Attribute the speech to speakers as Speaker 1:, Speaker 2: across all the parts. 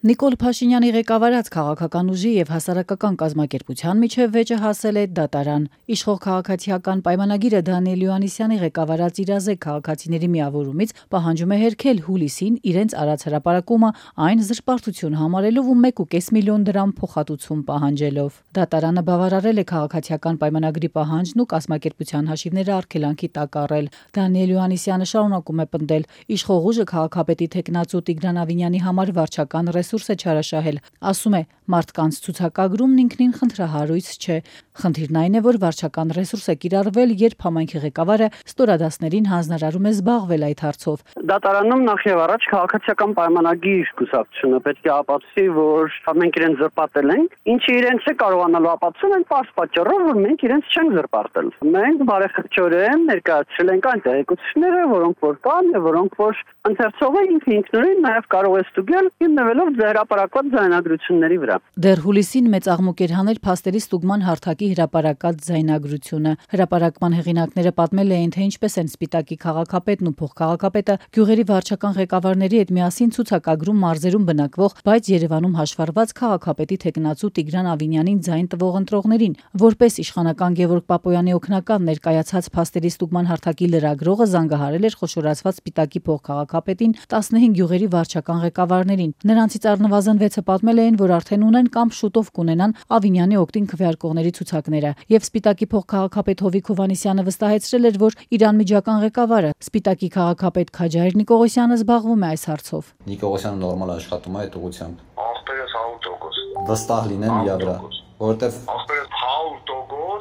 Speaker 1: Նիկոլ Փաշինյանի ղեկավարած քաղաքական ուժի եւ հասարակական կազմակերպության միջև վեճը հասել է դատարան։ Իշխող քաղաքացիական պայմանագիրը Դանիել Հովհաննիսյանի ղեկավարած իրազեկ քաղաքացիների միավորումից պահանջում է հերքել հուլիսին իրենց արած հրապարակումը այն զրպարտություն համարելով ու 1.5 միլիոն դրամ փոխհատուցում պահանջելով։ Դատարանը բավարարել է քաղաքացիական պայմանագրի պահանջն ու կազմակերպության հաշիվները արգելանքի տակ առել։ Դանիել Հովհաննիսյանը շարունակում է պնդել, իշխող ուժը քաղաքապետի թեկնածու Տիգրան Ավինյանի համար վարչական ռեսուրս է չարաշահել, ասում է, մարդկանց ցուցակագրումն ինքնին խնդրահարույց չէ։ Խնդիրն այն է, որ վարչական ռեսուրս է կիրառվել, երբ համայնքի ղեկավարը ստորադասներին հանձնարարում է զբաղվել այդ հարցով։
Speaker 2: Դատարանում նախ եւ առաջ քաղաքացիական պայմանագիր կուսակցությունը պետք է ապացուցի, որ մենք իրենց զրպարտել ենք, ինչը իրենց է կարողանալու ապացուցել այն պարզ պատճառով, որ մենք իրենց չենք զրպարտել։ Մենք բարեխղճորեն ներկայացրել ենք այն տեղեկությունները, որոնք որ կան եւ որոնք որ ընթերցողը ինքնուրույն նաեւ կարող է ստուգել հիմնվելով հրապարակված ձայնագրությունների վրա։
Speaker 1: Դեռ հուլիսին մեծ աղմուկ էր հանել փաստերի ստուգման հարթակի հրապարակած ձայնագրությունը։ Հրապարակման հեղինակները պատմել էին, թե ինչպես են Սպիտակի քաղաքապետն ու փոխքաղաքապետը գյուղերի վարչական ղեկավարների հետ միասին ցուցակագրում մարզերում բնակվող, բայց Երևանում հաշվառված քաղաքապետի թեկնածու Տիգրան Ավինյանին ձայն տվող ընտրողներին, որպես իշխանական Գևորգ Պապոյանի օգնական ներկայացած փաստերի ստուգման հարթակի լրագրողը զանգահարել էր խոշորացված Սպիտակի փոխքաղաքապետին 15 գյուղերի վարչական ղեկավարներին։ Նրանցից առնվազն 6-ը պատմել էին, որ արդեն ունեն կամ շուտով կունենան Ավինյանի օգտին քվեարկողների ցուցակները, եւ Սպիտակի փոխքաղաքապետ Հովիկ Հովհաննիսյանը վստահեցրել էր, որ իր անմիջական ղեկավարը Սպիտակի քաղաքապետ Քաջայր Նիկողոսյանը զբաղվում է այս հարցով։
Speaker 3: Նիկողոսյանը նորմալ աշխատում է այդ ուղղությամբ։
Speaker 4: Ախպերս 100%։
Speaker 3: Վստահ լինեմ իրա վրա, որովհետեւ
Speaker 4: ախպերս 100%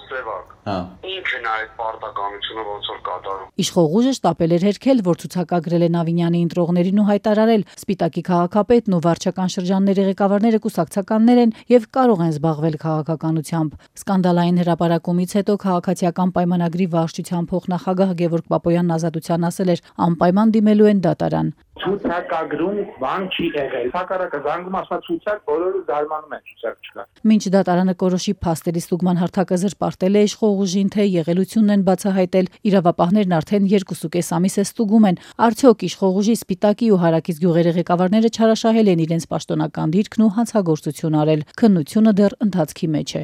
Speaker 4: սևակ։
Speaker 3: Հա։
Speaker 4: Ինքն այդ պարտականությունը ոնց որ կատարում։
Speaker 1: Իշխող ուժը շտապել էր հերքել, որ ցուցակագրել են Ավինյանի ընտրողներին ու հայտարարել Սպիտակի քաղաքապետն ու վարչական շրջանների ղեկավարները կուսակցականներ են եւ կարող են զբաղվել քաղաքականությամբ։ Սկանդալային հրապարակումից հետո քաղաքացիական պայմանագրի վարչության փոխնախագահ Գևորգ Պապոյանն Ազատության ասել էր, անպայման դիմելու են դատարան։
Speaker 5: Ցուցակագրում բան չի եղել։ Հակառակը զանգում ասա ցուցակ, բոլորը զարմանում են ցուցակ չկա։
Speaker 1: Մինչ դատարանը կորոշի փաստերի ստուգման հարթակը զրպարտել է իշխող ուժին, թե եղելությունն են բացահայտել, իրավապահներն արդեն 2.5 ամիս է ստուգում են, արդյոք իշխող ուժի Սպիտակի ու Հարակից գյուղերի ղեկավարները չարաշահել են իրենց պաշտոնական դիրքն ու հանցագործություն արել։ Քննությունը դեռ ընթացքի մեջ է։